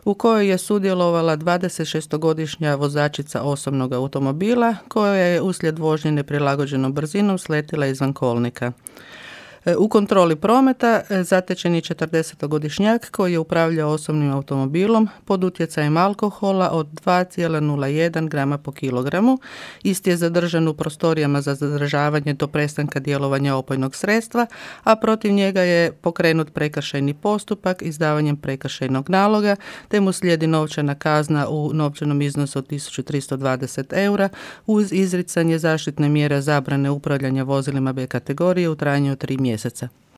u kojoj je sudjelovala 26-godišnja vozačica osobnog automobila koja je uslijed vožnje neprilagođenom brzinom sletila izvan kolnika. U kontroli prometa zatečen je 40-godišnjak koji je upravljao osobnim automobilom pod utjecajem alkohola od 2,01 grama po kilogramu. Isti je zadržan u prostorijama za zadržavanje do prestanka djelovanja opojnog sredstva, a protiv njega je pokrenut prekršajni postupak izdavanjem prekršajnog naloga, te mu slijedi novčana kazna u novčanom iznosu od 1320 eura uz izricanje zaštitne mjere zabrane upravljanja vozilima B kategorije u trajanju od 3 mjeseca.